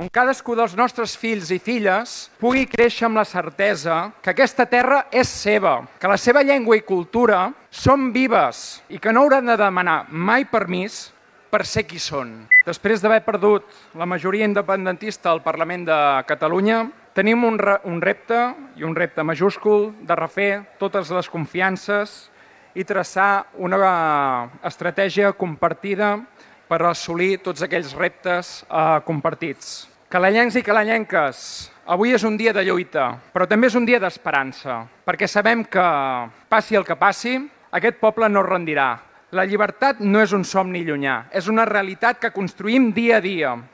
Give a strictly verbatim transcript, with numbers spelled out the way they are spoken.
on cadascú dels nostres fills i filles pugui créixer amb la certesa que aquesta terra és seva, que la seva llengua i cultura són vives i que no hauran de demanar mai permís per ser qui són. Després d'haver perdut la majoria independentista al Parlament de Catalunya, tenim un, re un repte, i un repte majúscul, de refer totes les confiances i traçar una estratègia compartida per assolir tots aquells reptes eh, compartits. Calallencs i calallenques, avui és un dia de lluita, però també és un dia d'esperança, perquè sabem que, passi el que passi, aquest poble no es rendirà. La llibertat no és un somni llunyà, és una realitat que construïm dia a dia.